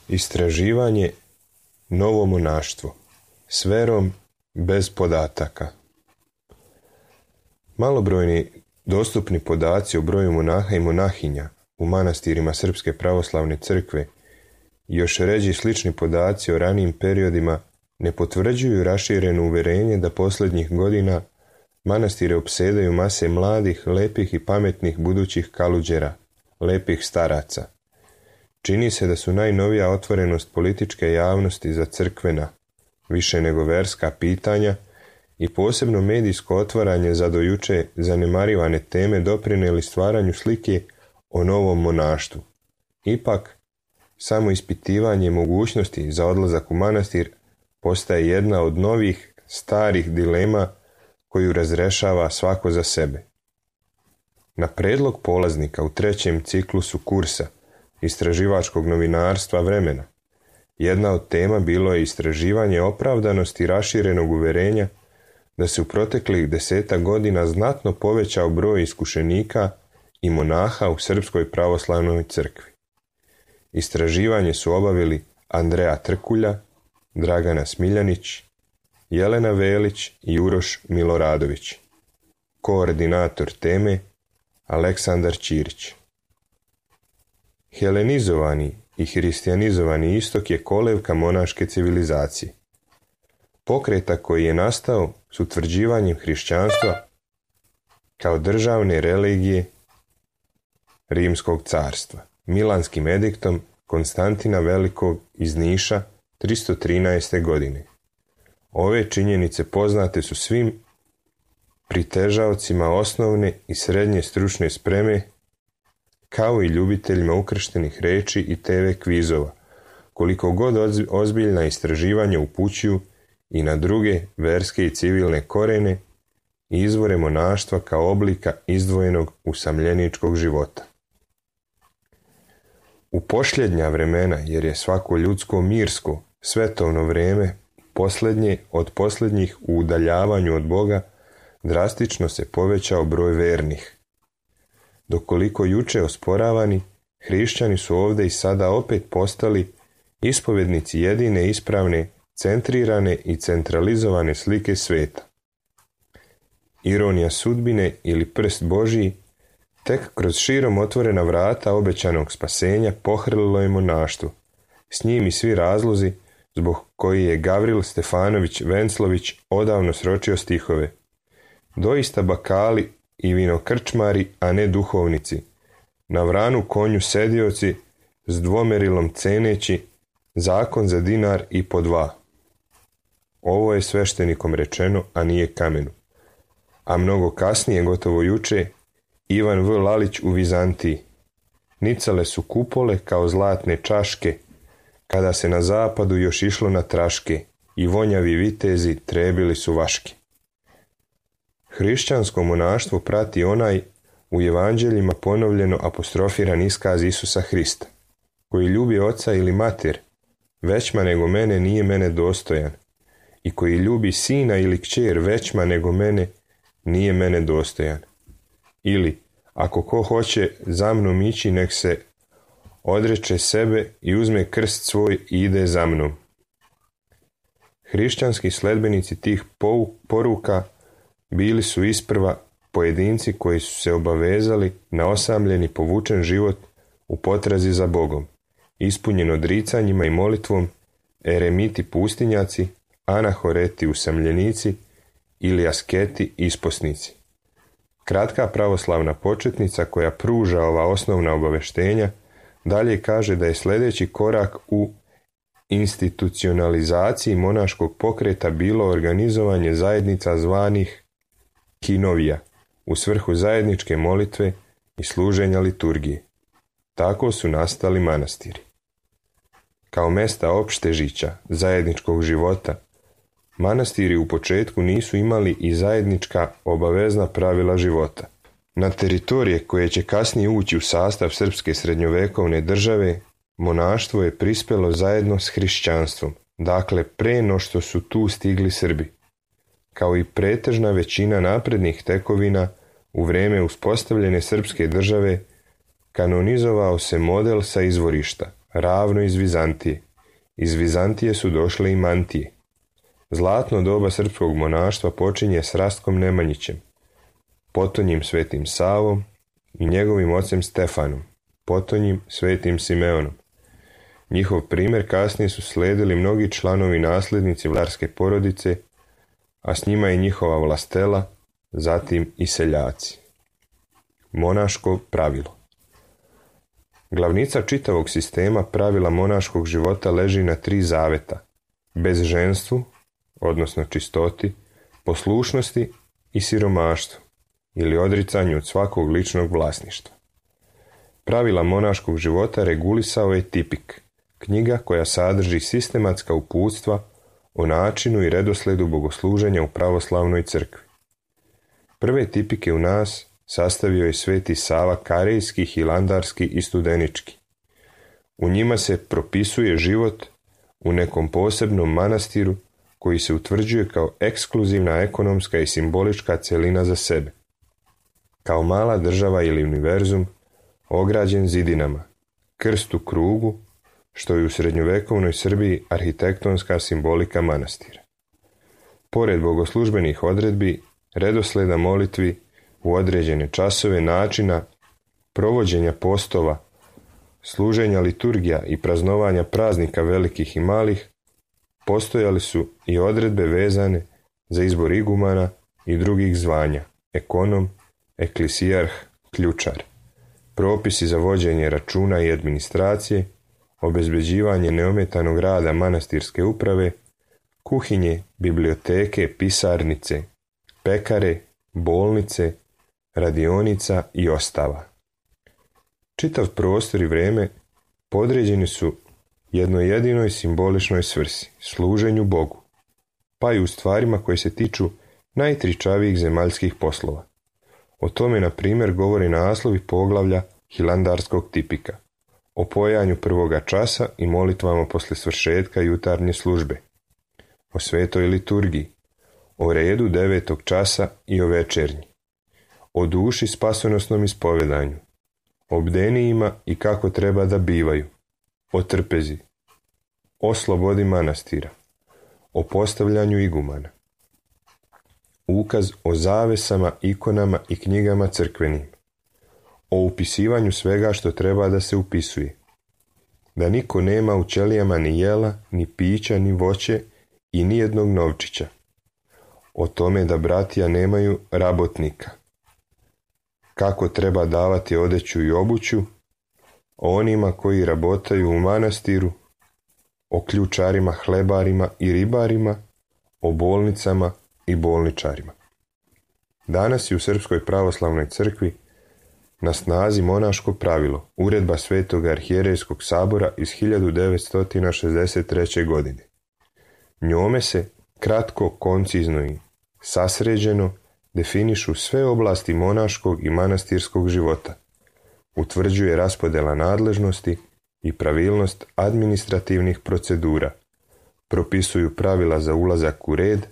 Istraživanje novo monaštvo s verom bez podataka. Malobrojni dostupni podaci o broju monaha i monahinja u manastirima Srpske pravoslavne crkve i još ređi slični podaci o ranijim periodima ne potvrđuju rašireno uverenje da posljednjih godina manastire opsedaju mase mladih, lepih i pametnih budućih kaluđera, lepih staraca. Čini se da su najnovija otvorenost političke javnosti za crkvena, više nego verska pitanja i posebno medijsko otvaranje za do juče zanemarivane teme doprinijeli stvaranju slike o novom monaštvu. Ipak, samo ispitivanje mogućnosti za odlazak u manastir postaje jedna od novih, starih dilema koju razrešava svako za sebe. Na predlog polaznika u 3. ciklusu kursa istraživačkog novinarstva vremena, jedna od tema bilo je istraživanje opravdanosti raširenog uverenja da se u proteklih 10 godina znatno povećao broj iskušenika i monaha u Srpskoj pravoslavnoj crkvi. Istraživanje su obavili Andreja Trkulja, Dragana Smiljanić, Jelena Velić i Uroš Miloradović. Koordinator teme Aleksandar Ćirić. Helenizovani i hristijanizovani istok je kolevka monaške civilizacije. Pokreta koji je nastao s utvrđivanjem hrišćanstva kao državne religije Rimskog carstva, Milanskim ediktom Konstantina Velikog iz Niša 313. godine. Ove činjenice poznate su svim pritežaocima osnovne i srednje stručne spreme, kao i ljubiteljima ukrštenih reči i TV kvizova, koliko god ozbiljna istraživanja upućuju i na druge verske i civilne korene i izvore monaštva kao oblika izdvojenog usamljeničkog života. U posljednja vremena, jer je svako ljudsko mirsko, svetovno vrijeme posljednje od posljednjih u udaljavanju od Boga, drastično se povećao broj vernih. Dokoliko juče osporavani, hrišćani su ovdje i sada opet postali ispovednici jedine ispravne, centrirane i centralizovane slike sveta. Ironija sudbine ili prst Božji, tek kroz širom otvorena vrata obećanog spasenja pohrlilo je monaštvo, s njim i svi razlozi zbog koji je Gavril Stefanović Venclović odavno sročio stihove. Doista bakali i vinokrčmari, a ne duhovnici, na vranu konju sedioci, s dvomerilom ceneći, zakon za dinar i po 2. Ovo je sveštenikom rečeno, a nije kamenu. A mnogo kasnije, gotovo juče, Ivan V. Lalić u Vizantiji. Nicale su kupole kao zlatne čaške, kada se na zapadu još išlo na traške i vonjavi vitezi trebili su vaške. Hrišćansko monaštvo prati onaj u evanđeljima ponovljeno apostrofiran iskaz Isusa Hrista, koji ljubi oca ili mater, većma nego mene nije mene dostojan, i koji ljubi sina ili kćer većma nego mene nije mene dostojan. Ili, ako ko hoće za mnom ići, nek se odreče sebe i uzme krst svoj i ide za mnom. Hrišćanski sledbenici tih poruka bili su isprva pojedinci koji su se obavezali na osamljeni povučen život u potrazi za Bogom, ispunjen odricanjima i molitvom, eremiti pustinjaci, anahoreti usamljenici ili asketi isposnici. Kratka pravoslavna početnica koja pruža ova osnovna obaveštenja dalje kaže da je sljedeći korak u institucionalizaciji monaškog pokreta bilo organizovanje zajednica zvanih kinovija u svrhu zajedničke molitve i služenja liturgije. Tako su nastali manastiri. Kao mesta opštežića zajedničkog života, manastiri u početku nisu imali i zajednička obavezna pravila života. Na teritorije koje će kasnije ući u sastav srpske srednjovekovne države, monaštvo je prispelo zajedno s hrišćanstvom, dakle pre no što su tu stigli Srbi. Kao i pretežna većina naprednih tekovina, u vrijeme uspostavljene srpske države kanonizovao se model sa izvorišta, ravno iz Vizantije. Iz Vizantije su došle i mantije. Zlatno doba srpskog monaštva počinje s Rastkom Nemanjićem, potonjim Svetim Savom i njegovim ocem Stefanom, potonjim Svetim Simeonom. Njihov primjer kasnije su slijedili mnogi članovi nasljednici vlarske porodice, a s njima i njihova vlastela, zatim i seljaci. Monaško pravilo. Glavnica čitavog sistema pravila monaškog života leži na 3 zaveta: bezženstvu, odnosno čistoti, poslušnosti i siromaštvu, ili odricanju od svakog ličnog vlasništva. Pravila monaškog života regulisao je Tipik, knjiga koja sadrži sistematska uputstva o načinu i redosledu bogosluženja u pravoslavnoj crkvi. Prve tipike u nas sastavio je Sveti Sava Karejski, Hilandarski i Studenički. U njima se propisuje život u nekom posebnom manastiru koji se utvrđuje kao ekskluzivna ekonomska i simbolička cjelina za sebe. Kao mala država ili univerzum, ograđen zidinama, krst u krugu, što je u srednjovekovnoj Srbiji arhitektonska simbolika manastira. Pored bogoslužbenih odredbi, redosleda molitvi u određene časove, načina provođenja postova, služenja liturgija i praznovanja praznika velikih i malih, postojali su i odredbe vezane za izbor igumana i drugih zvanja, ekonom, eklisijarh, ključar, propisi za vođenje računa i administracije, obezbeđivanje neometanog rada manastirske uprave, kuhinje, biblioteke, pisarnice, pekare, bolnice, radionica i ostava. Čitav prostor i vrijeme podređeni su jednoj jedinoj simboličnoj svrsi, služenju Bogu, pa i u stvarima koje se tiču najtričavijih zemaljskih poslova. O tome, na primjer, govori naslovi poglavlja Hilandarskog tipika, o pojanju prvoga časa i molitvama posle svršetka jutarnje službe, o svetoj liturgiji, o redu 9. časa i o večernji, o duši spasonosnom ispovedanju, o bdenijima i kako treba da bivaju, o trpezi, o slobodi manastira, o postavljanju igumana, ukaz o zavesama, ikonama i knjigama crkvenim, o upisivanju svega što treba da se upisuje, da niko nema u ćelijama ni jela, ni pića, ni voće i ni jednog novčića, o tome da bratija nemaju rabotnika, kako treba davati odeću i obuću, o onima koji rabotaju u manastiru, o ključarima, hlebarima i ribarima, o bolnicama i bolničarima. Danas je u Srpskoj pravoslavnoj crkvi na snazi monaško pravilo, uredba Svetog arhijerejskog sabora iz 1963. godine. Njome se kratko, koncizno i sasređeno definišu sve oblasti monaškog i manastirskog života, utvrđuje raspodjela nadležnosti i pravilnost administrativnih procedura, propisuju pravila za ulazak u red,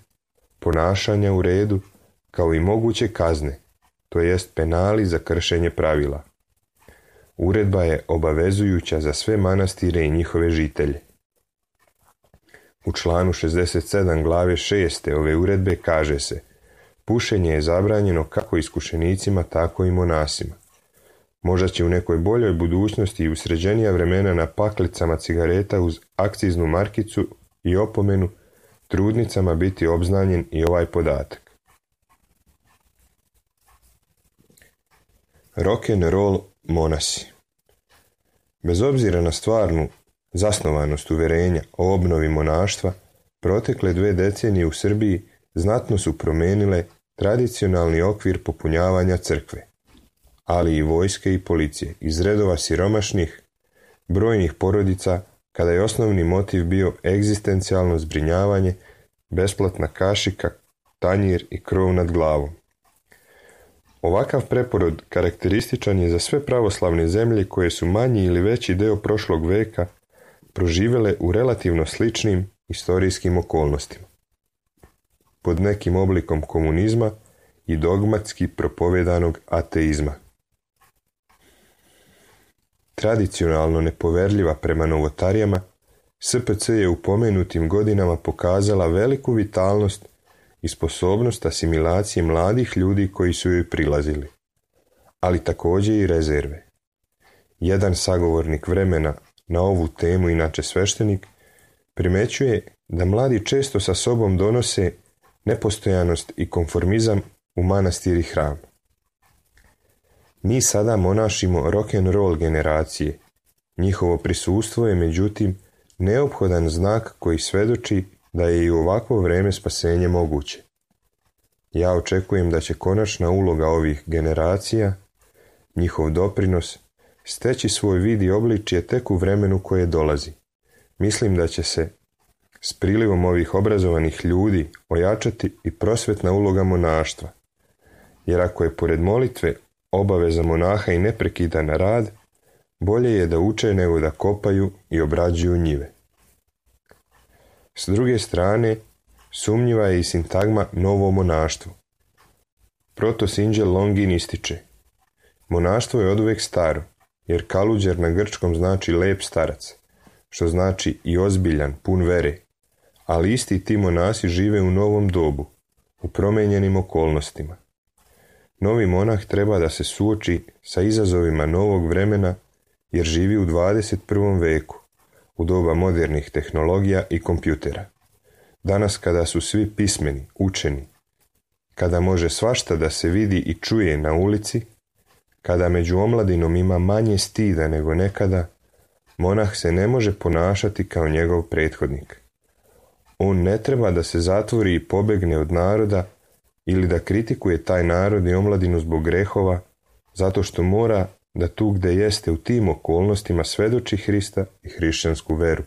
ponašanja u redu, kao i moguće kazne, to jest penali za kršenje pravila. Uredba je obavezujuća za sve manastire i njihove žitelje. U članu 67 glave 6. ove uredbe kaže se: pušenje je zabranjeno kako iskušenicima, tako i monasima. Možda će u nekoj boljoj budućnosti i u sređenija vremena na paklicama cigareta uz akciznu markicu i opomenu trudnicama biti obznanjen i ovaj podatak. Rock'n'roll monasi. Bez obzira na stvarnu zasnovanost uverenja o obnovi monaštva, protekle 2 decenije u Srbiji znatno su promijenile tradicionalni okvir popunjavanja crkve, ali i vojske i policije, iz redova siromašnih, brojnih porodica, kada je osnovni motiv bio egzistencijalno zbrinjavanje, besplatna kašika, tanjir i krov nad glavom. Ovakav preporod karakterističan je za sve pravoslavne zemlje koje su manji ili veći deo prošlog veka proživjele u relativno sličnim historijskim okolnostima, pod nekim oblikom komunizma i dogmatski propovedanog ateizma. Tradicionalno nepoverljiva prema novotarijama, SPC je u pomenutim godinama pokazala veliku vitalnost i sposobnost asimilacije mladih ljudi koji su joj prilazili, ali također i rezerve. Jedan sagovornik vremena na ovu temu, inače sveštenik, primećuje da mladi često sa sobom donose nepostojanost i konformizam u manastir i hram. Mi sada monašimo rock'n'roll generacije. Njihovo prisustvo je međutim neophodan znak koji svedoči da je i u ovakvo vrijeme spasenje moguće. Ja očekujem da će konačna uloga ovih generacija, njihov doprinos, steći svoj vid i obličje tek u vremenu koje dolazi. Mislim da će se s prilivom ovih obrazovanih ljudi ojačati i prosvetna uloga monaštva, jer ako je pored molitve obaveza monaha i neprekidan rad, bolje je da uče nego da kopaju i obrađuju njive. S druge strane, sumnjiva je i sintagma novo monaštvo. Protosinđel Longin ističe: monaštvo je oduvijek staro, jer kaluđer na grčkom znači lep starac, što znači i ozbiljan, pun vere, ali isti ti monasi žive u novom dobu, u promijenjenim okolnostima. Novi monah treba da se suoči sa izazovima novog vremena, jer živi u 21. veku, u doba modernih tehnologija i kompjutera. Danas kada su svi pismeni, učeni, kada može svašta da se vidi i čuje na ulici, kada među omladinom ima manje stida nego nekada, monah se ne može ponašati kao njegov prethodnik. On ne treba da se zatvori i pobegne od naroda ili da kritikuje taj narod i omladinu zbog grehova, zato što mora da tu gde jeste u tim okolnostima svedoči Hrista i hrišćansku veru.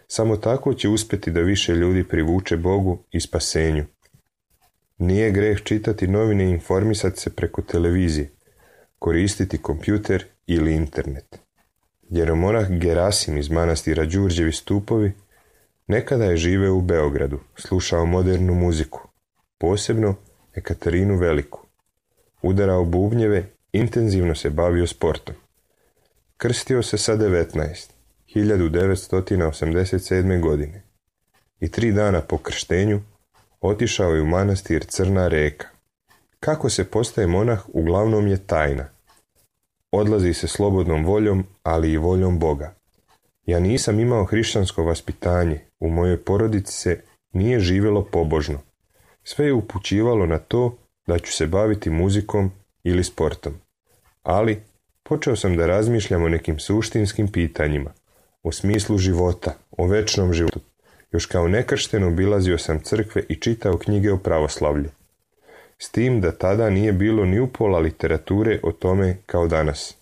Samo tako će uspjeti da više ljudi privuče Bogu i spasenju. Nije greh čitati novine i informisati se preko televizije, koristiti kompjuter ili internet. Jeromonah Gerasim iz manastira Đurđevi Stupovi nekada je živeo u Beogradu, slušao modernu muziku, posebno Ekaterinu Veliku. Udarao bubnjeve, intenzivno se bavio sportom. Krstio se sa 1987. godine i 3 dana po krštenju otišao je u manastir Crna Reka. Kako se postaje monah uglavnom je tajna. Odlazi se slobodnom voljom, ali i voljom Boga. Ja nisam imao hrišćansko vaspitanje, u mojoj porodici se nije živjelo pobožno. Sve je upućivalo na to da ću se baviti muzikom ili sportom. Ali počeo sam da razmišljam o nekim suštinskim pitanjima, o smislu života, o večnom životu. Još kao nekršten obilazio sam crkve i čitao knjige o pravoslavlju. S tim da tada nije bilo ni upola literature o tome kao danas.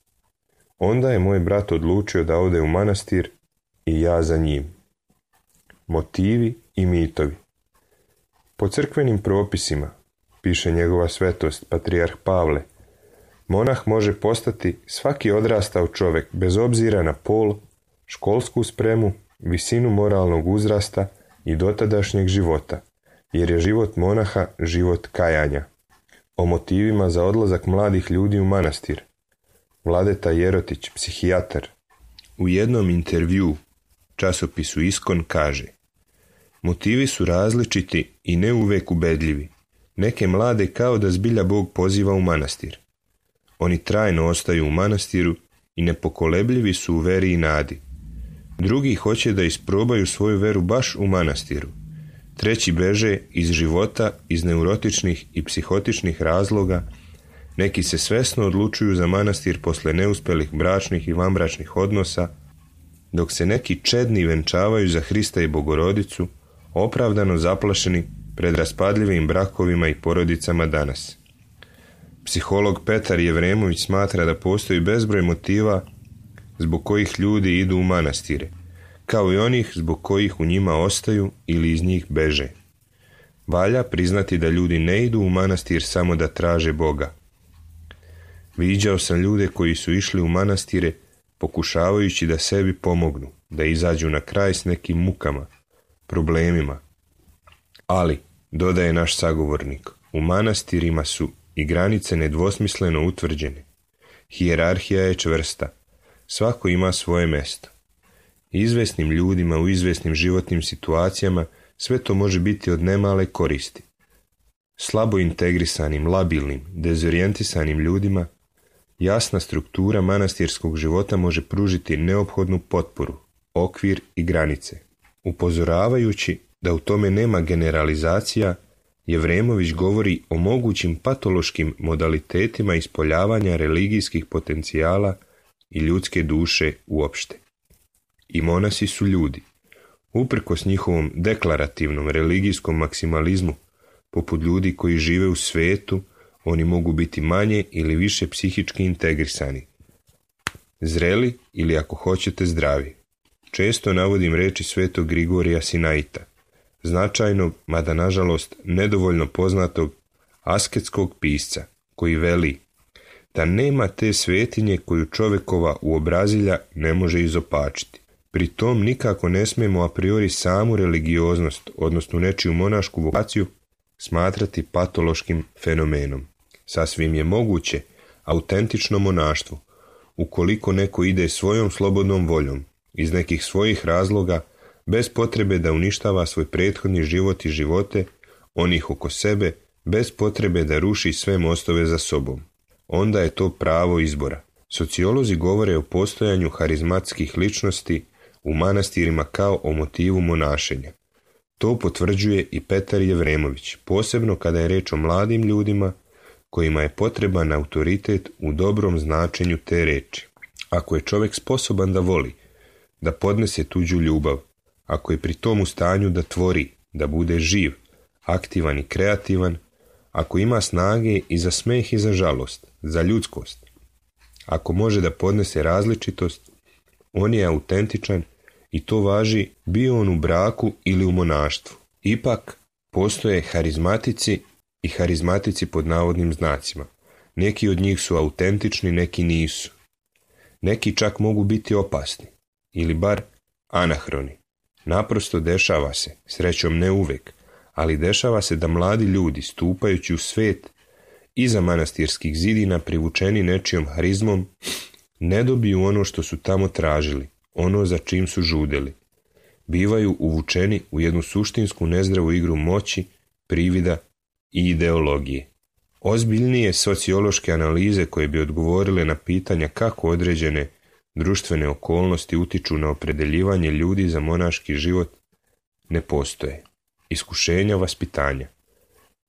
Onda je moj brat odlučio da ode u manastir i ja za njim. Motivi i mitovi. Po crkvenim propisima, piše njegova svetost, patrijarh Pavle, monah može postati svaki odrastao čovjek bez obzira na pol, školsku spremu, visinu moralnog uzrasta i dotadašnjeg života, jer je život monaha život kajanja. O motivima za odlazak mladih ljudi u manastir. Vladeta Jerotić, psihijatar, u jednom intervjuu časopisu Iskon kaže: motivi su različiti i ne uvek ubedljivi. Neke mlade kao da zbilja Bog poziva u manastir. Oni trajno ostaju u manastiru i nepokolebljivi su u veri i nadi. Drugi hoće da isprobaju svoju veru baš u manastiru. Treći beže iz života iz neurotičnih i psihotičnih razloga. Neki se svesno odlučuju za manastir posle neuspelih bračnih i vanbračnih odnosa, dok se neki čedni venčavaju za Hrista i Bogorodicu, opravdano zaplašeni pred raspadljivim brakovima i porodicama danas. Psiholog Petar Jevremović smatra da postoji bezbroj motiva zbog kojih ljudi idu u manastire, kao i onih zbog kojih u njima ostaju ili iz njih beže. Valja priznati da ljudi ne idu u manastir samo da traže Boga. Viđao sam ljude koji su išli u manastire pokušavajući da sebi pomognu, da izađu na kraj s nekim mukama, problemima. Ali, dodaje naš sagovornik, u manastirima su i granice nedvosmisleno utvrđene. Hijerarhija je čvrsta. Svako ima svoje mesto. Izvesnim ljudima u izvesnim životnim situacijama sve to može biti od nemale koristi. Slabo integrisanim, labilnim, dezorijentisanim ljudima jasna struktura manastirskog života može pružiti neophodnu potporu, okvir i granice. Upozoravajući da u tome nema generalizacija, Jevremović govori o mogućim patološkim modalitetima ispoljavanja religijskih potencijala i ljudske duše uopšte. I monasi su ljudi. Uprkos njihovom deklarativnom religijskom maksimalizmu, poput ljudi koji žive u svetu, oni mogu biti manje ili više psihički integrisani. Zreli ili ako hoćete zdravi. Često navodim reči svetog Grigorija Sinaita, značajnog, mada nažalost nedovoljno poznatog asketskog pisca, koji veli da nema te svetinje koju čovjekova uobrazilja ne može izopačiti. Pri tom nikako ne smijemo a priori samu religioznost, odnosno nečiju monašku vokaciju, smatrati patološkim fenomenom. Sasvim je moguće autentično monaštvo, ukoliko neko ide svojom slobodnom voljom, iz nekih svojih razloga, bez potrebe da uništava svoj prethodni život i živote onih oko sebe, bez potrebe da ruši sve mostove za sobom. Onda je to pravo izbora. Sociolozi govore o postojanju harizmatskih ličnosti u manastirima kao o motivu monašenja. To potvrđuje i Petar Jevremović, posebno kada je reč o mladim ljudima kojima je potreban autoritet u dobrom značenju te reči. Ako je čovjek sposoban da voli, da podnese tuđu ljubav, ako je pri tom u stanju da tvori, da bude živ, aktivan i kreativan, ako ima snage i za smeh i za žalost, za ljudskost, ako može da podnese različitost, on je autentičan i to važi bio on u braku ili u monaštvu. Ipak, postoje harizmatici i harizmatici pod navodnim znacima. Neki od njih su autentični, neki nisu. Neki čak mogu biti opasni, ili bar anahroni. Naprosto dešava se, srećom ne uvek, ali dešava se da mladi ljudi, stupajući u svet iza manastirskih zidina privučeni nečijom harizmom, ne dobiju ono što su tamo tražili, ono za čim su žudeli. Bivaju uvučeni u jednu suštinsku nezdravu igru moći, privida i ideologije. Ozbiljnije sociološke analize koje bi odgovorile na pitanja kako određene društvene okolnosti utiču na opredeljivanje ljudi za monaški život ne postoje. Iskušenja vaspitanja.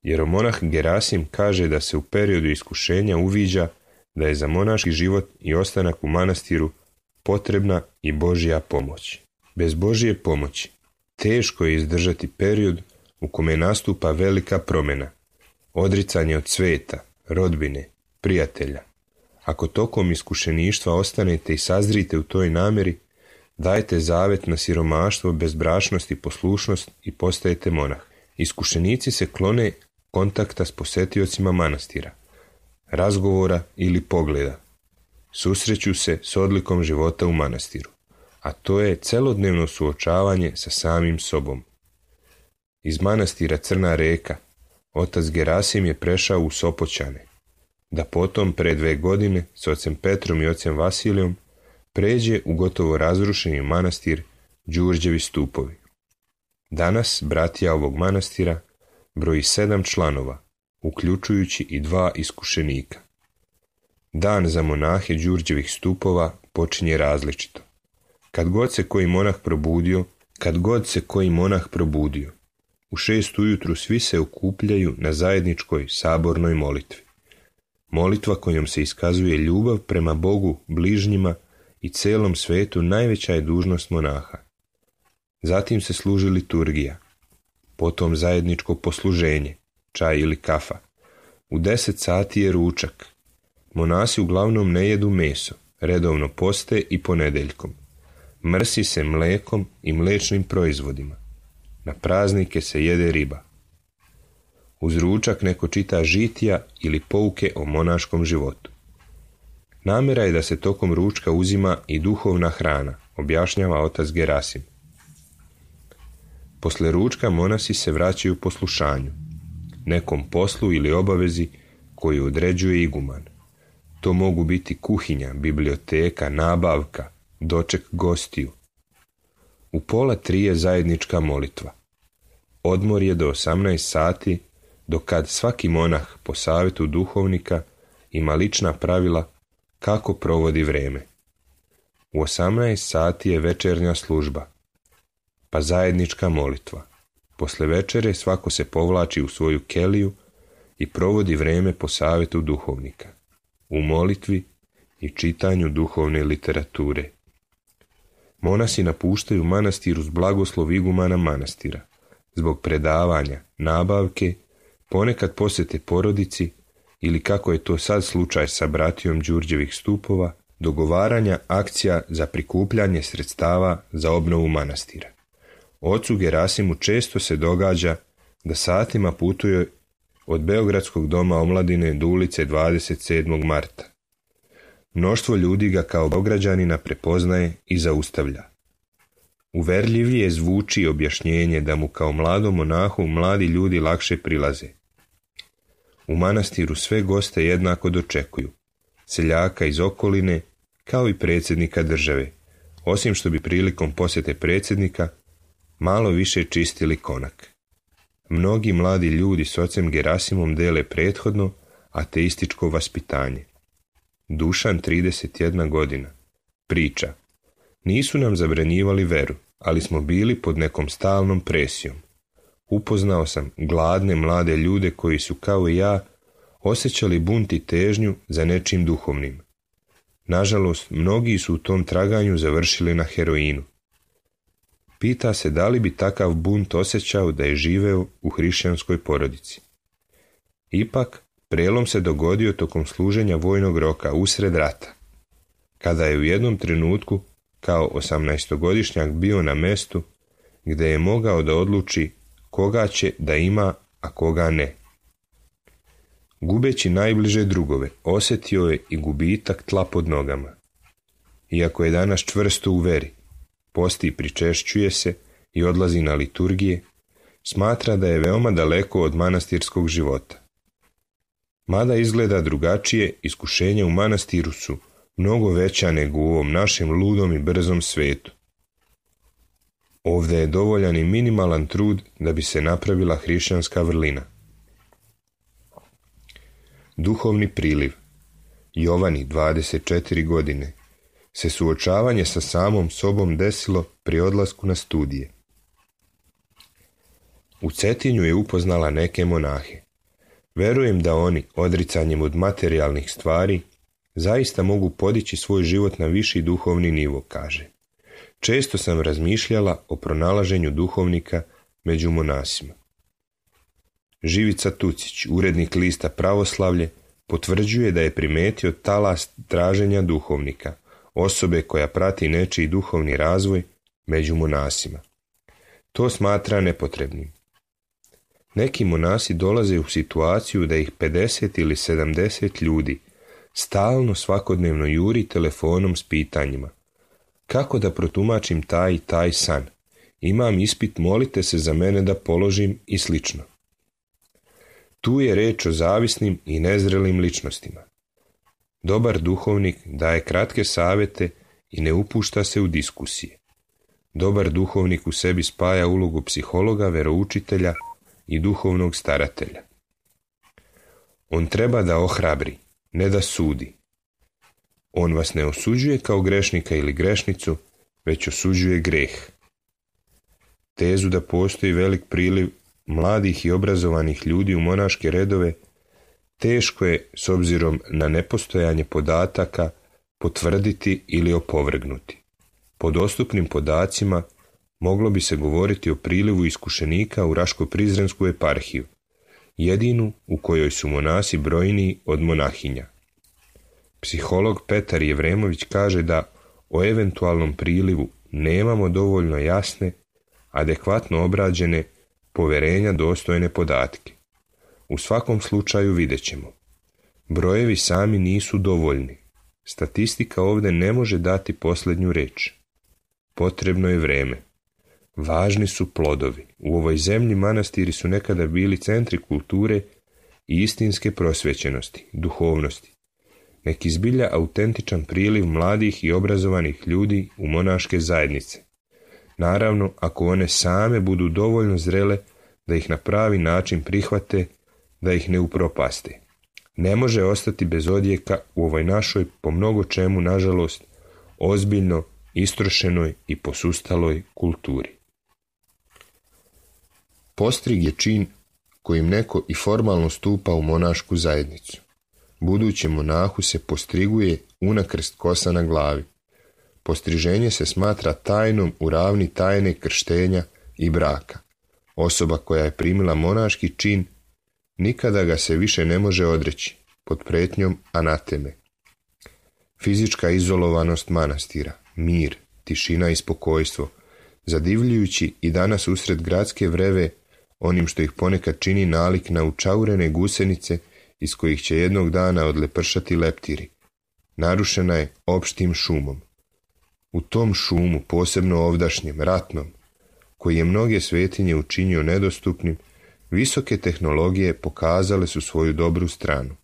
Jeromonah Gerasim kaže da se u periodu iskušenja uviđa da je za monaški život i ostanak u manastiru potrebna i Božja pomoć. Bez Božje pomoći teško je izdržati period u kome nastupa velika promjena, odricanje od sveta, rodbine, prijatelja. Ako tokom iskušeništva ostanete i sazrite u toj namjeri, dajte zavet na siromaštvo, bezbrašnost i poslušnost i postajete monah. Iskušenici se klone kontakta s posetiocima manastira, razgovora ili pogleda. Susreću se s odlikom života u manastiru, a to je celodnevno suočavanje sa samim sobom. Iz manastira Crna Reka otac Gerasim je prešao u Sopoćane, da potom pre 2 godine s ocem Petrom i ocem Vasilijom pređe u gotovo razrušeni manastir Đurđevi stupovi. Danas bratija ovog manastira broji 7 članova, uključujući i 2 iskušenika. Dan za monahe Đurđevih stupova počinje različito. Kad god se koji monah probudio, u 6 ujutru svi se okupljaju na zajedničkoj sabornoj molitvi. Molitva kojom se iskazuje ljubav prema Bogu, bližnjima i celom svetu najveća je dužnost monaha. Zatim se služi liturgija. potom zajedničko posluženje, čaj ili kafa. U 10 sati je ručak. Monasi uglavnom ne jedu meso, redovno poste i ponedjeljkom. Mrsi se mlekom i mlečnim proizvodima. Na praznike se jede riba. Uz ručak neko čita žitija ili pouke o monaškom životu. Namjera je da se tokom ručka uzima i duhovna hrana, objašnjava otac Gerasim. Posle ručka monasi se vraćaju poslušanju, nekom poslu ili obavezi koju određuje iguman. To mogu biti kuhinja, biblioteka, nabavka, doček gostiju. U 2:30 je zajednička molitva. Odmor je do 18 sati, dok kad svaki monah po savjetu duhovnika ima lična pravila kako provodi vrijeme. U 18 sati je večernja služba, pa zajednička molitva. Posle večere svako se povlači u svoju keliju i provodi vrijeme po savjetu duhovnika, u molitvi i čitanju duhovne literature. Monasi napuštaju manastir uz blagoslov igumana manastira, zbog predavanja, nabavke, ponekad posjete porodici ili, kako je to sad slučaj sa bratijom Đurđevih stupova, dogovaranja akcija za prikupljanje sredstava za obnovu manastira. Ocu Gerasimu često se događa da satima putuje od Beogradskog doma omladine do ulice 27. marta. Mnoštvo ljudi ga kao Beograđanina prepoznaje i zaustavlja. Uverljivije zvuči objašnjenje da mu kao mladom monahu mladi ljudi lakše prilaze. U manastiru sve goste jednako dočekuju, seljaka iz okoline kao i predsjednika države, osim što bi prilikom posjete predsjednika malo više čistili konak. Mnogi mladi ljudi s ocem Gerasimom dele prethodno ateističko vaspitanje. Dušan, 31 godina, priča: nisu nam zabranjivali veru, ali smo bili pod nekom stalnom presijom. Upoznao sam gladne mlade ljude koji su kao i ja osjećali bunt i težnju za nečim duhovnim. Nažalost, mnogi su u tom traganju završili na heroinu. Pita se da li bi takav bunt osjećao da je živeo u hrišćanskoj porodici. Ipak, prelom se dogodio tokom služenja vojnog roka usred rata, kada je u jednom trenutku kao 18-godišnjak bio na mestu gdje je mogao da odluči koga će da ima, a koga ne. Gubeći najbliže drugove, osjetio je i gubitak tla pod nogama. Iako je danas čvrsto u veri, posti i pričešćuje se i odlazi na liturgije, smatra da je veoma daleko od manastirskog života. Mada izgleda drugačije, iskušenja u manastiru su mnogo veća nego u ovom našem ludom i brzom svetu. Ovdje je dovoljan i minimalan trud da bi se napravila hrišćanska vrlina. Duhovni priliv. Jovani, 24 godine, se suočavanje sa samom sobom desilo pri odlasku na studije. U Cetinju je upoznala neke monahe. Verujem da oni, odricanjem od materijalnih stvari, zaista mogu podići svoj život na viši duhovni nivo, kaže. Često sam razmišljala o pronalaženju duhovnika među monasima. Živica Tucić, urednik lista Pravoslavlje, potvrđuje da je primetio talas traženja duhovnika, osobe koja prati nečiji duhovni razvoj među monasima. To smatra nepotrebnim. Neki monasi dolaze u situaciju da ih 50 ili 70 ljudi stalno svakodnevno juri telefonom s pitanjima: kako da protumačim taj i taj san, imam ispit, molite se za mene da položim i slično. Tu je reč o zavisnim i nezrelim ličnostima. Dobar duhovnik daje kratke savjete i ne upušta se u diskusije. Dobar duhovnik u sebi spaja ulogu psihologa, veroučitelja i duhovnog staratelja. On treba da ohrabri, ne da sudi. On vas ne osuđuje kao grešnika ili grešnicu, već osuđuje greh. Tezu da postoji velik priliv mladih i obrazovanih ljudi u monaške redove teško je, s obzirom na nepostojanje podataka, potvrditi ili opovrgnuti. Po dostupnim podacima, moglo bi se govoriti o prilivu iskušenika u Raško-Prizrensku eparhiju, jedinu u kojoj su monasi brojniji od monahinja. Psiholog Petar Jevremović kaže da o eventualnom prilivu nemamo dovoljno jasne, adekvatno obrađene, poverenja dostojne podatke. U svakom slučaju vidjet ćemo. Brojevi sami nisu dovoljni. Statistika ovdje ne može dati posljednju riječ. Potrebno je vrijeme. Važni su plodovi. U ovoj zemlji manastiri su nekada bili centri kulture i istinske prosvećenosti, duhovnosti. Neki zbilja autentičan priliv mladih i obrazovanih ljudi u monaške zajednice. Naravno, ako one same budu dovoljno zrele da ih na pravi način prihvate, da ih ne upropaste. Ne može ostati bez odjeka u ovoj našoj, po mnogo čemu, nažalost, ozbiljno istrošenoj i posustaloj kulturi. Postrig je čin kojim neko i formalno stupa u monašku zajednicu. Budućem monahu se postriguje unakrst kosa na glavi. Postriženje se smatra tajnom u ravni tajne krštenja i braka. Osoba koja je primila monaški čin nikada ga se više ne može odreći, pod pretnjom anateme. Fizička izolovanost manastira, mir, tišina i spokojstvo, zadivljujući i danas usred gradske vreve onim što ih ponekad čini nalik na učaurene gusenice iz kojih će jednog dana odlepršati leptiri, narušena je opštim šumom. U tom šumu, posebno ovdašnjem, ratnom, koji je mnoge svetinje učinio nedostupnim, visoke tehnologije pokazale su svoju dobru stranu.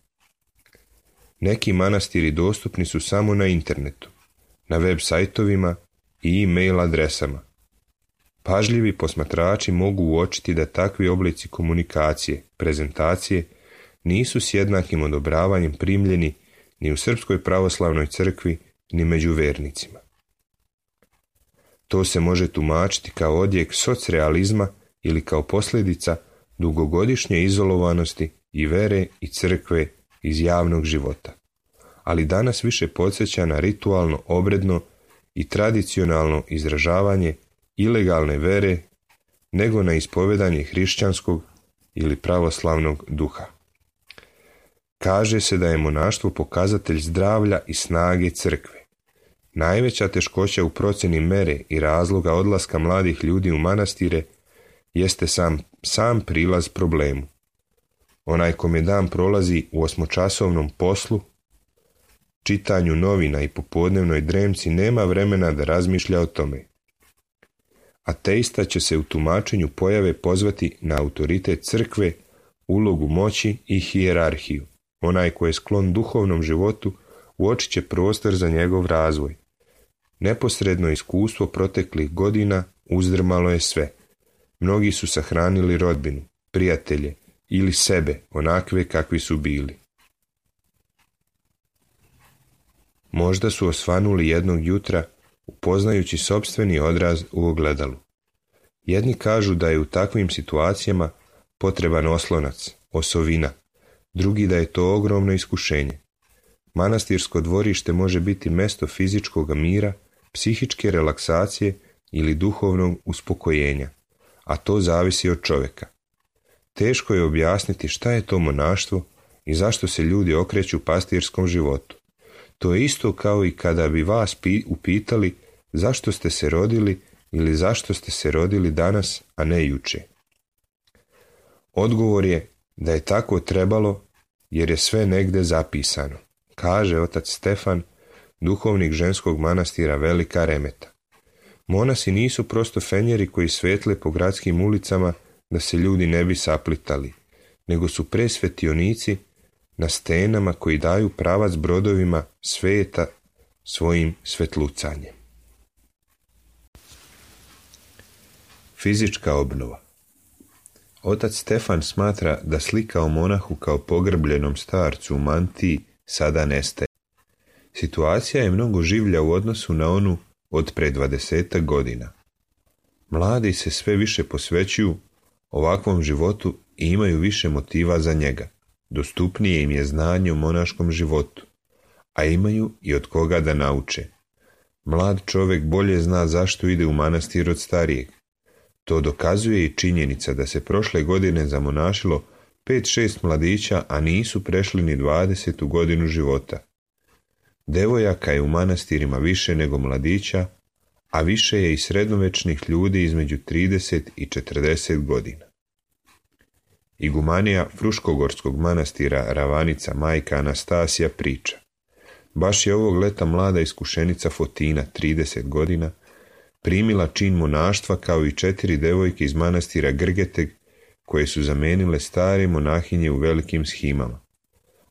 Neki manastiri dostupni su samo na internetu, na web sajtovima i e-mail adresama. Pažljivi posmatrači mogu uočiti da takvi oblici komunikacije, prezentacije, nisu s jednakim odobravanjem primljeni ni u Srpskoj pravoslavnoj crkvi, ni među vernicima. To se može tumačiti kao odjek socrealizma ili kao posljedica dugogodišnje izolovanosti i vere i crkve iz javnog života. Ali danas više podsjeća na ritualno, obredno i tradicionalno izražavanje ilegalne vere nego na ispovedanje hrišćanskog ili pravoslavnog duha. Kaže se da je monaštvo pokazatelj zdravlja i snage crkve. Najveća teškoća u procjeni mere i razloga odlaska mladih ljudi u manastire jeste sam prilaz problemu. Onaj kome dan prolazi u 8-časovnom poslu, čitanju novina i popodnevnoj dremci nema vremena da razmišlja o tome. Ateista će se u tumačenju pojave pozvati na autoritet crkve, ulogu moći i hijerarhiju. Onaj ko je sklon duhovnom životu uočit će prostor za njegov razvoj. Neposredno iskustvo proteklih godina uzdrmalo je sve. Mnogi su sahranili rodbinu, prijatelje ili sebe onakve kakvi su bili. Možda su osvanuli jednog jutra upoznajući sopstveni odraz u ogledalu. Jedni kažu da je u takvim situacijama potreban oslonac, osovina, drugi da je to ogromno iskušenje. Manastirsko dvorište može biti mesto fizičkog mira, psihičke relaksacije ili duhovnog uspokojenja, a to zavisi od čovjeka. Teško je objasniti šta je to monaštvo i zašto se ljudi okreću pastirskom životu. To je isto kao i kada bi vas upitali zašto ste se rodili ili zašto ste se rodili danas, a ne juče. Odgovor je da je tako trebalo jer je sve negde zapisano, kaže otac Stefan, duhovnik ženskog manastira Velika Remeta. Monasi nisu prosto fenjeri koji svetle po gradskim ulicama da se ljudi ne bi saplitali, nego su presvetionici na stenama koji daju pravac brodovima sveta svojim svetlucanjem. Fizička obnova. Otac Stefan smatra da slika o monahu kao pogrbljenom starcu u mantiji sada nestaje. Situacija je mnogo življa u odnosu na onu od pre 20 godina. Mladi se sve više posvećuju ovakvom životu i imaju više motiva za njega. Dostupnije im je znanje o monaškom životu, a imaju i od koga da nauče. Mlad čovjek bolje zna zašto ide u manastir od starijeg. To dokazuje i činjenica da se prošle godine zamonašilo 5-6 mladića, a nisu prešli ni 20. godinu života. Devojaka je u manastirima više nego mladića, a više je i srednjovečnih ljudi između 30 i 40 godina. Igumanija Fruškogorskog manastira Ravanica majka Anastasija priča: baš je ovog leta mlada iskušenica Fotina, 30 godina, primila čin monaštva kao i 4 devojke iz manastira Grgeteg, koje su zamenile stare monahinje u velikim shimama,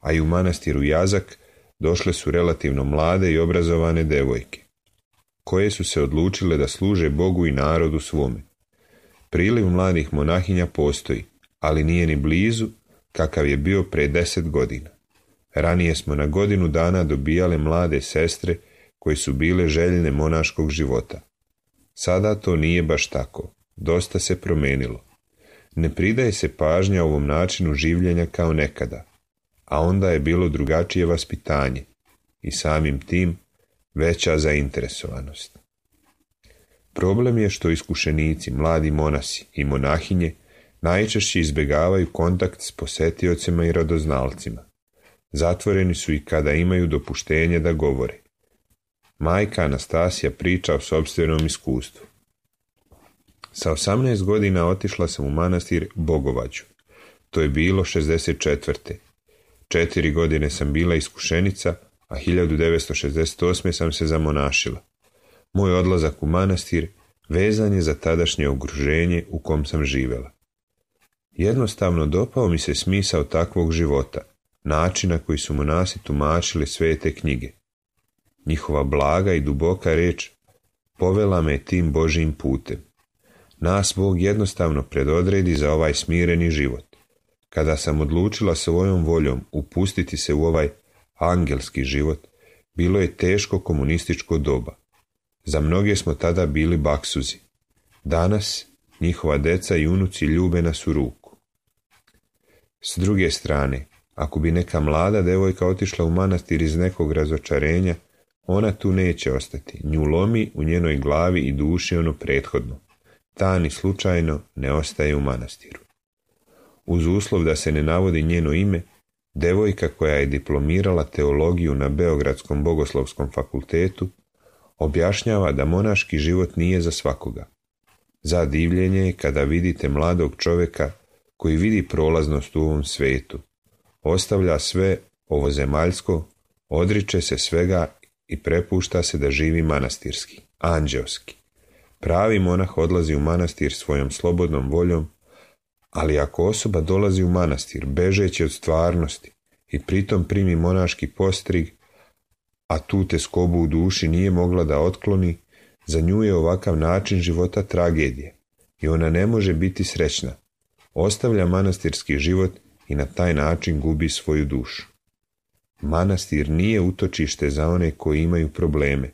a i u manastiru Jazak došle su relativno mlade i obrazovane devojke, koje su se odlučile da služe Bogu i narodu svome. Priliv mladih monahinja postoji, ali nije ni blizu kakav je bio pre 10 godina. Ranije smo na godinu dana dobijale mlade sestre koje su bile željne monaškog života. Sada to nije baš tako, dosta se promenilo. Ne pridaje se pažnja ovom načinu življenja kao nekada, a onda je bilo drugačije vaspitanje i samim tim veća zainteresovanost. Problem je što iskušenici, mladi monasi i monahinje najčešće izbjegavaju kontakt s posetiocima i radoznalcima. Zatvoreni su i kada imaju dopuštenje da govore. Majka Anastasija priča o sopstvenom iskustvu. Sa 18 godina otišla sam u manastir Bogovađu. To je bilo 64. 4 godine sam bila iskušenica, a 1968. sam se zamonašila. Moj odlazak u manastir vezan je za tadašnje okruženje u kom sam živjela. Jednostavno dopao mi se smisao takvog života, način na koji su monasi tumačili svete knjige. Njihova blaga i duboka reč povela me tim Božjim putem. Nas Bog jednostavno predodredi za ovaj smireni život. Kada sam odlučila svojom voljom upustiti se u ovaj angelski život, bilo je teško komunističko doba. Za mnoge smo tada bili baksuzi. Danas njihova deca i unuci ljube nas u ruku. S druge strane, ako bi neka mlada devojka otišla u manastir iz nekog razočarenja, ona tu neće ostati. Nju lomi u njenoj glavi i duši ono prethodno. Ta ni slučajno ne ostaje u manastiru. Uz uslov da se ne navodi njeno ime, devojka koja je diplomirala teologiju na Beogradskom bogoslovskom fakultetu objašnjava da monaški život nije za svakoga. Za divljenje je kada vidite mladog čovjeka koji vidi prolaznost u ovom svetu, ostavlja sve ovozemaljsko, odriče se svega i prepušta se da živi manastirski, anđeoski. Pravi monah odlazi u manastir svojom slobodnom voljom, ali ako osoba dolazi u manastir bežeći od stvarnosti i pritom primi monaški postrig, a tu teskobu u duši nije mogla da otkloni, za nju je ovakav način života tragedije i ona ne može biti srećna. Ostavlja manastirski život i na taj način gubi svoju dušu. Manastir nije utočište za one koji imaju probleme,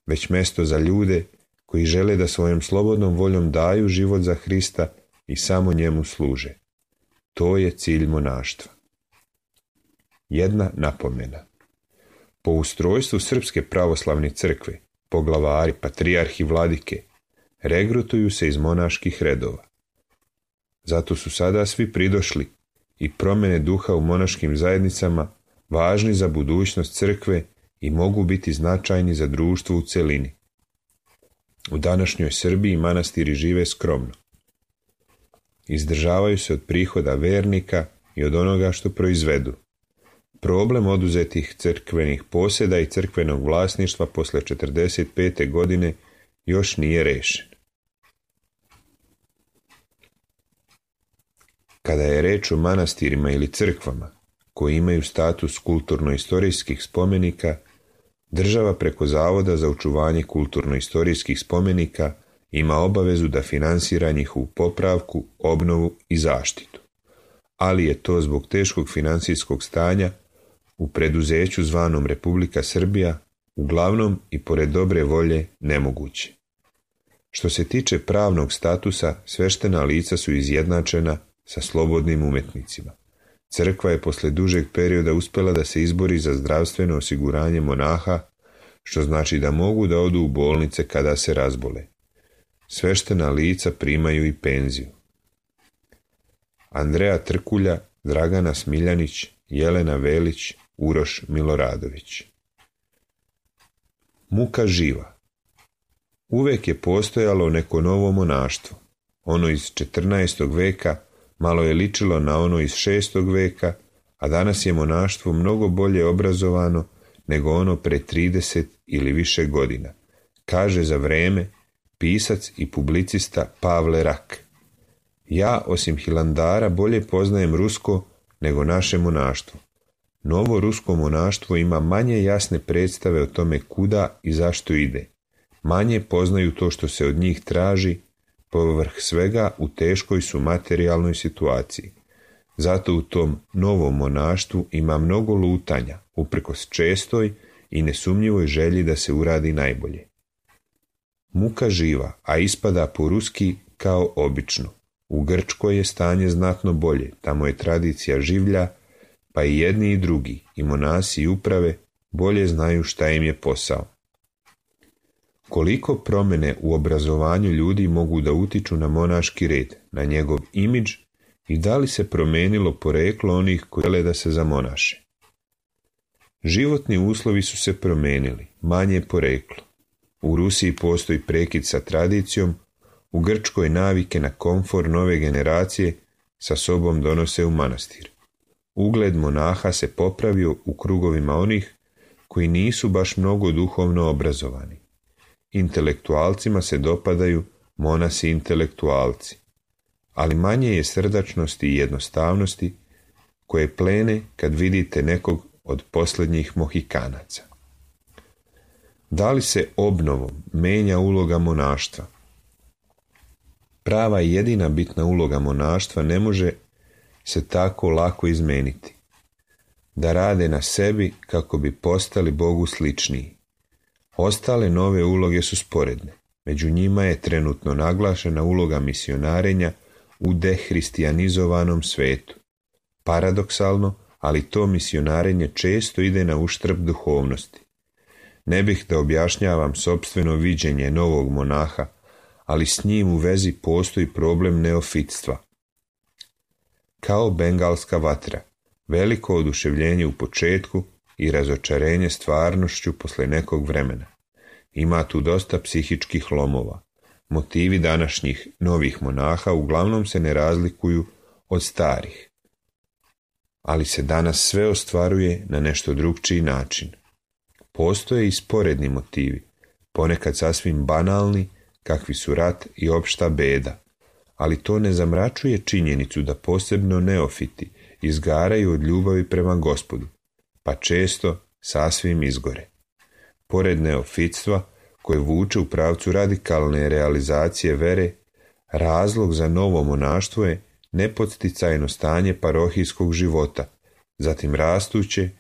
već mjesto za ljude koji žele da svojom slobodnom voljom daju život za Hrista i samo njemu služe. To je cilj monaštva. Jedna napomena. Po ustrojstvu Srpske pravoslavne crkve, poglavari, patrijarhi, vladike, regrutuju se iz monaških redova. Zato su sada svi pridošli i promjene duha u monaškim zajednicama važni za budućnost crkve i mogu biti značajni za društvo u celini. U današnjoj Srbiji manastiri žive skromno. Izdržavaju se od prihoda vernika i od onoga što proizvedu. Problem oduzetih crkvenih posjeda i crkvenog vlasništva posle 45. godine još nije rešen. Kada je reč o manastirima ili crkvama koji imaju status kulturno-istorijskih spomenika, država preko Zavoda za očuvanje kulturno-istorijskih spomenika ima obavezu da finansira njihovu popravku, obnovu i zaštitu. Ali je to zbog teškog financijskog stanja u preduzeću zvanom Republika Srbija uglavnom i pored dobre volje nemoguće. Što se tiče pravnog statusa, sveštena lica su izjednačena sa slobodnim umetnicima. Crkva je posle dužeg perioda uspjela da se izbori za zdravstveno osiguranje monaha, što znači da mogu da odu u bolnice kada se razbole. Sveštena lica primaju i penziju. Andreja Trkulja, Dragana Smiljanić, Jelena Velić, Uroš Miloradović. Muka živa. Uvek je postojalo neko novo monaštvo. Ono iz 14. veka malo je ličilo na ono iz 6. veka, a danas je monaštvo mnogo bolje obrazovano nego ono pre 30 ili više godina, kaže za vreme pisac i publicista Pavle Rak. Ja, osim Hilandara, bolje poznajem rusko nego naše monaštvo. Novo rusko monaštvo ima manje jasne predstave o tome kuda i zašto ide. Manje poznaju to što se od njih traži, povrh svega u teškoj su materijalnoj situaciji. Zato u tom novom monaštvu ima mnogo lutanja, uprkos čestoj i nesumnjivoj želji da se uradi najbolje. Muka živa, a ispada po ruski kao obično. U Grčkoj je stanje znatno bolje, tamo je tradicija življa, pa i jedni i drugi, i monasi i uprave, bolje znaju šta im je posao. Koliko promjene u obrazovanju ljudi mogu da utiču na monaški red, na njegov imidž i da li se promenilo poreklo onih koji žele da se zamonaše. Životni uslovi su se promenili, manje poreklo. U Rusiji postoji prekid sa tradicijom, u Grčkoj navike na komfor nove generacije sa sobom donose u manastir. Ugled monaha se popravio u krugovima onih koji nisu baš mnogo duhovno obrazovani. Intelektualcima se dopadaju monasi intelektualci, ali manje je srdačnosti i jednostavnosti koje plene kad vidite nekog od posljednjih Mohikanaca. Da li se obnovom menja uloga monaštva? Prava i jedina bitna uloga monaštva ne može se tako lako izmeniti. Da rade na sebi kako bi postali Bogu sličniji. Ostale nove uloge su sporedne. Među njima je trenutno naglašena uloga misionarenja u dehristijanizovanom svetu. Paradoksalno, ali to misionarenje često ide na uštrb duhovnosti. Ne bih da objašnjavam sopstveno viđenje novog monaha, ali s njim u vezi postoji problem neofitstva. Kao bengalska vatra, veliko oduševljenje u početku i razočarenje stvarnošću posle nekog vremena. Ima tu dosta psihičkih lomova. Motivi današnjih novih monaha uglavnom se ne razlikuju od starih. Ali se danas sve ostvaruje na nešto drukčiji način. Postoje i sporedni motivi, ponekad sasvim banalni, kakvi su rat i opšta beda, ali to ne zamračuje činjenicu da posebno neofiti izgaraju od ljubavi prema Gospodu, pa često sasvim izgore. Pored neofitstva, koje vuče u pravcu radikalne realizacije vere, razlog za novo monaštvo je nepodsticajno stanje parohijskog života, zatim rastuće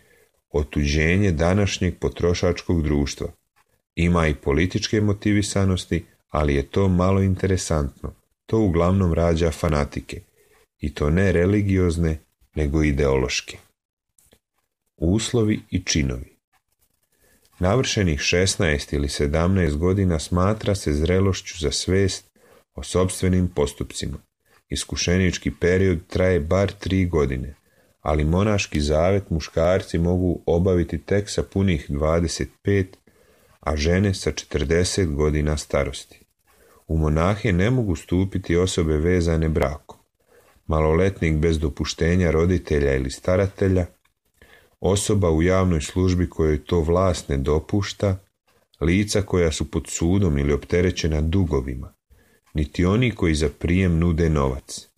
otuđenje današnjeg potrošačkog društva. Ima i političke motivisanosti, ali je to malo interesantno. To uglavnom rađa fanatike, i to ne religiozne, nego ideološke. Uslovi i činovi. Navršenih 16 ili 17 godina smatra se zrelošću za svest o sopstvenim postupcima. Iskušenički period traje bar 3 godine, ali monaški zavet muškarci mogu obaviti tek sa punih 25, a žene sa 40 godina starosti. U monahe ne mogu stupiti osobe vezane brakom, maloletnik bez dopuštenja roditelja ili staratelja, osoba u javnoj službi kojoj to vlast ne dopušta, lica koja su pod sudom ili opterećena dugovima, niti oni koji za prijem nude novac.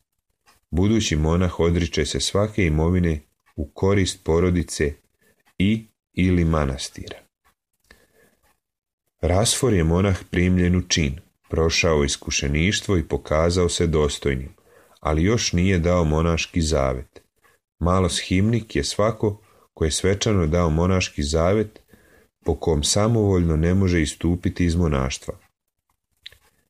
Budući monah odriče se svake imovine u korist porodice i ili manastira. Rasfor je monah primljen u čin, prošao iskušeništvo i pokazao se dostojnim, ali još nije dao monaški zavet. Maloshimnik je svako ko je svečano dao monaški zavet, po kom samovoljno ne može istupiti iz monaštva.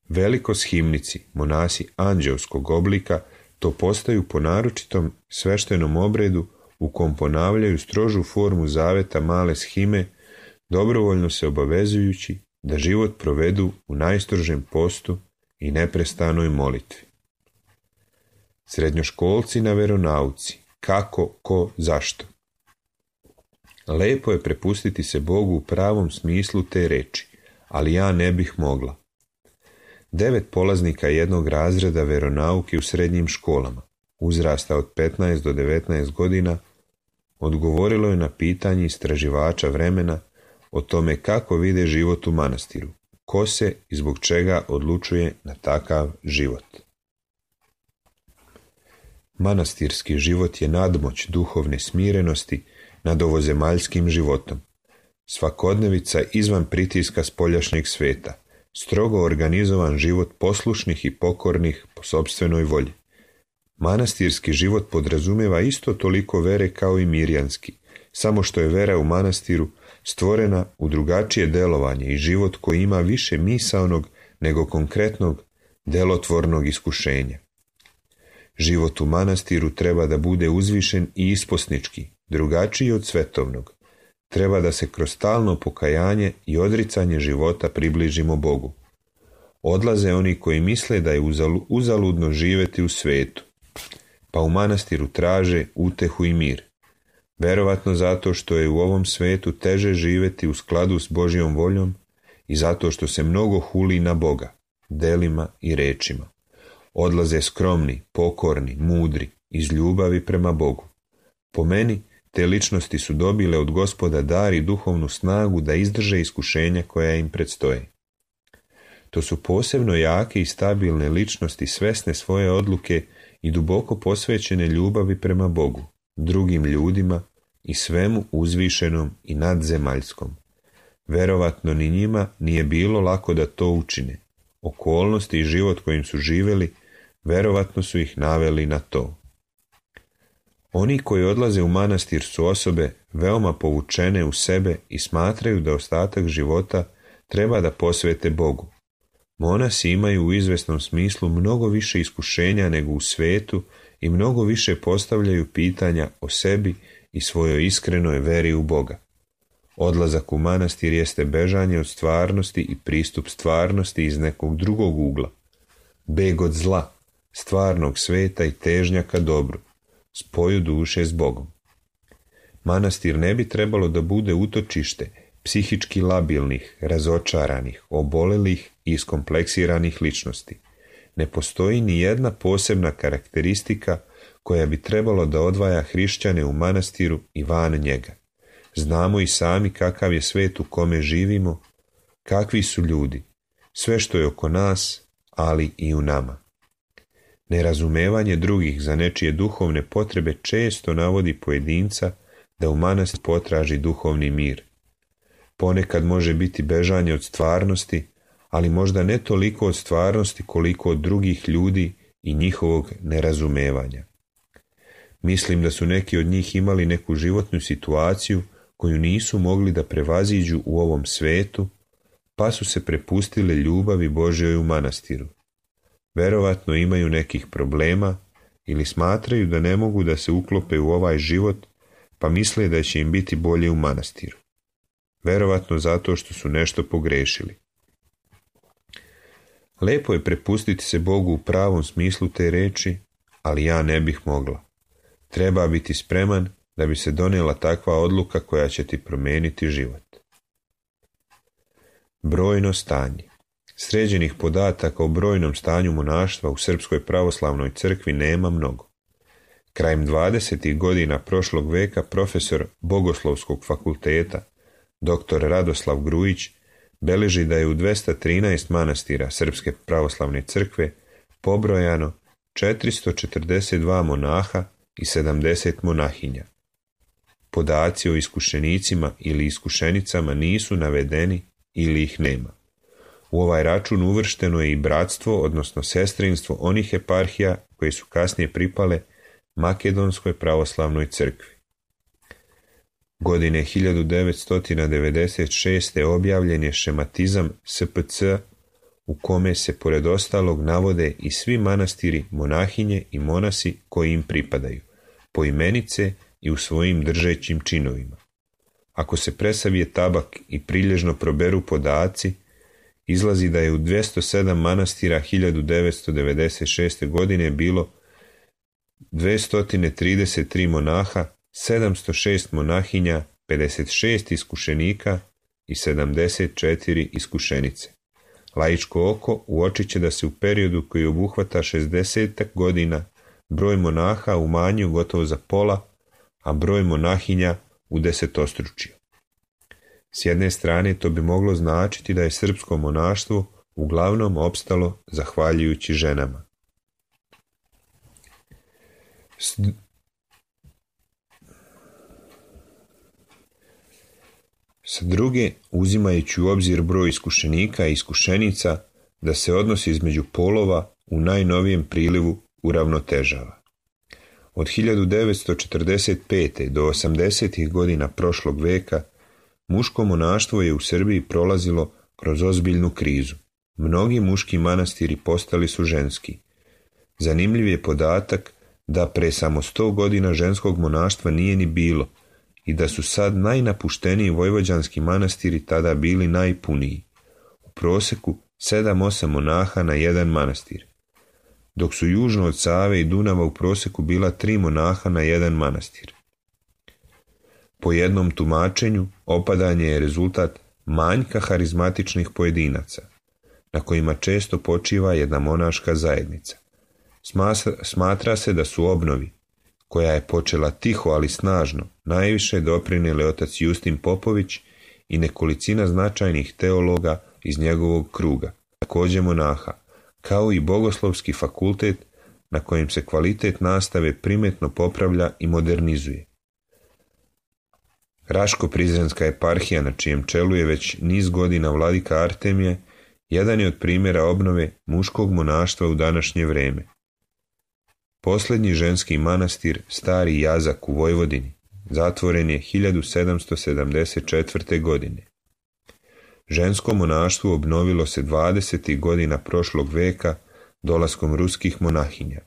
Velikoshimnici, monasi anđelskog oblika, to postaju po naročitom sveštenom obredu u kom ponavljaju strožu formu zaveta male shime dobrovoljno se obavezujući da život provedu u najstrožem postu i neprestanoj molitvi. Srednjoškolci na veronauci, kako, ko, zašto. Lepo je prepustiti se Bogu u pravom smislu te reči, ali ja ne bih mogla. 9 polaznika jednog razreda veronauke u srednjim školama, uzrasta od 15 do 19 godina, odgovorilo je na pitanje istraživača vremena o tome kako vide život u manastiru, ko se i zbog čega odlučuje na takav život. Manastirski život je nadmoć duhovne smirenosti nad ovozemaljskim životom. Svakodnevica izvan pritiska spoljašnjeg sveta, strogo organizovan život poslušnih i pokornih po sopstvenoj volji. Manastirski život podrazumijeva isto toliko vere kao i mirjanski, samo što je vera u manastiru stvorena u drugačije delovanje i život koji ima više misaonog nego konkretnog delotvornog iskušenja. Život u manastiru treba da bude uzvišen i isposnički, drugačiji od svetovnog. Treba da se kroz stalno pokajanje i odricanje života približimo Bogu. Odlaze oni koji misle da je uzaludno živjeti u svetu, pa u manastiru traže utehu i mir. Verovatno zato što je u ovom svetu teže živjeti u skladu s Božjom voljom i zato što se mnogo huli na Boga, delima i rečima. Odlaze skromni, pokorni, mudri, iz ljubavi prema Bogu. Po meni, te ličnosti su dobile od Gospoda dar i duhovnu snagu da izdrže iskušenja koja im predstoje. To su posebno jake i stabilne ličnosti svesne svoje odluke i duboko posvećene ljubavi prema Bogu, drugim ljudima i svemu uzvišenom i nadzemaljskom. Verovatno ni njima nije bilo lako da to učine. Okolnosti i život kojim su živjeli verovatno su ih naveli na to. Oni koji odlaze u manastir su osobe veoma povučene u sebe i smatraju da ostatak života treba da posvete Bogu. Monasi imaju u izvesnom smislu mnogo više iskušenja nego u svetu i mnogo više postavljaju pitanja o sebi i svojoj iskrenoj veri u Boga. Odlazak u manastir jeste bežanje od stvarnosti i pristup stvarnosti iz nekog drugog ugla. Beg od zla, stvarnog sveta i težnja ka dobru, spoju duše s Bogom. Manastir ne bi trebalo da bude utočište psihički labilnih, razočaranih, obolelih i iskompleksiranih ličnosti. Ne postoji ni jedna posebna karakteristika koja bi trebalo da odvaja hrišćane u manastiru i van njega. Znamo i sami kakav je svet u kome živimo, kakvi su ljudi, sve što je oko nas, ali i u nama. Nerazumevanje drugih za nečije duhovne potrebe često navodi pojedinca da u manastir potraži duhovni mir. Ponekad može biti bežanje od stvarnosti, ali možda ne toliko od stvarnosti koliko od drugih ljudi i njihovog nerazumevanja. Mislim da su neki od njih imali neku životnu situaciju koju nisu mogli da prevaziđu u ovom svetu, pa su se prepustili ljubavi Božjoj u manastiru. Verovatno imaju nekih problema ili smatraju da ne mogu da se uklope u ovaj život, pa misle da će im biti bolje u manastiru. Verovatno zato što su nešto pogrešili. Lepo je prepustiti se Bogu u pravom smislu te reči, ali ja ne bih mogla. Treba biti spreman da bi se donijela takva odluka koja će ti promijeniti život. Brojno stanje. Sređenih podataka o brojnom stanju monaštva u Srpskoj pravoslavnoj crkvi nema mnogo. Krajem 20. godina prošlog veka profesor Bogoslovskog fakulteta, dr. Radoslav Grujić, beleži da je u 213 manastira Srpske pravoslavne crkve pobrojano 442 monaha i 70 monahinja. Podaci o iskušenicima ili iskušenicama nisu navedeni ili ih nema. U ovaj račun uvršteno je i bratstvo, odnosno sestrinstvo onih eparhija koje su kasnije pripale Makedonskoj pravoslavnoj crkvi. Godine 1996. objavljen je šematizam SPC u kome se pored ostalog navode i svi manastiri, monahinje i monasi koji im pripadaju, poimenice i u svojim držećim činovima. Ako se presavije tabak i prilježno proberu podaci, izlazi da je u 207 manastira 1996. godine bilo 233 monaha, 706 monahinja, 56 iskušenika i 74 iskušenice. Laičko oko uočit će da se u periodu koji obuhvata 60 godina broj monaha umanjio gotovo za pola, a broj monahinja udesetostručio. S jedne strane to bi moglo značiti da je srpsko monaštvo uglavnom opstalo zahvaljujući ženama. Sa druge, uzimajući u obzir broj iskušenika i iskušenica, da se odnos između polova u najnovijem prilivu uravnotežava. Od 1945. do 80. godina prošlog veka muško monaštvo je u Srbiji prolazilo kroz ozbiljnu krizu. Mnogi muški manastiri postali su ženski. Zanimljiv je podatak da pre samo 100 godina ženskog monaštva nije ni bilo i da su sad najnapušteniji vojvođanski manastiri tada bili najpuniji. U proseku 7-8 monaha na jedan manastir, dok su južno od Save i Dunava u proseku bila 3 monaha na jedan manastir. Po jednom tumačenju, opadanje je rezultat manjka harizmatičnih pojedinaca, na kojima često počiva jedna monaška zajednica. Smatra se da su obnovi, koja je počela tiho ali snažno, najviše doprinijeli otac Justin Popović i nekolicina značajnih teologa iz njegovog kruga, također monaha, kao i Bogoslovski fakultet na kojem se kvalitet nastave primetno popravlja i modernizuje. Raško-Prizrenska eparhija, na čijem čelu je već niz godina vladika Artemije, jedan je od primjera obnove muškog monaštva u današnje vrijeme. Posljednji ženski manastir, Stari Jazak u Vojvodini, zatvoren je 1774. godine. Žensko monaštvo obnovilo se 20. godina prošlog veka dolaskom ruskih monahinja.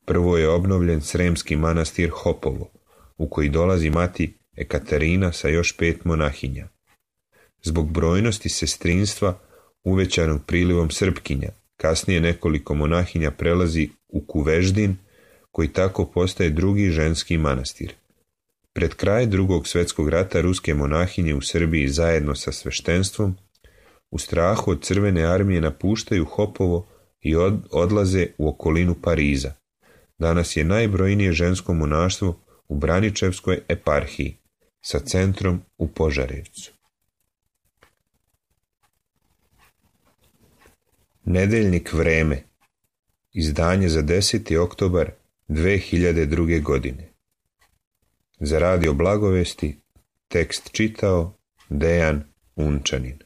Prvo je obnovljen Sremski manastir Hopovo, u koji dolazi mati Ekaterina sa još 5 monahinja. Zbog brojnosti sestrinstva uvećanog prilivom Srpkinja, kasnije nekoliko monahinja prelazi u Kuveždin, koji tako postaje drugi ženski manastir. Pred kraj Drugog svjetskog rata ruske monahinje u Srbiji zajedno sa sveštenstvom u strahu od Crvene armije napuštaju Hopovo i odlaze u okolinu Pariza. Danas je najbrojnije žensko monaštvo u Braničevskoj eparhiji sa centrom u Požarevcu. Nedeljnik Vreme, izdanje za 10. oktobar 2002. godine. Za Radio Blagovesti tekst čitao Dejan Unčanin.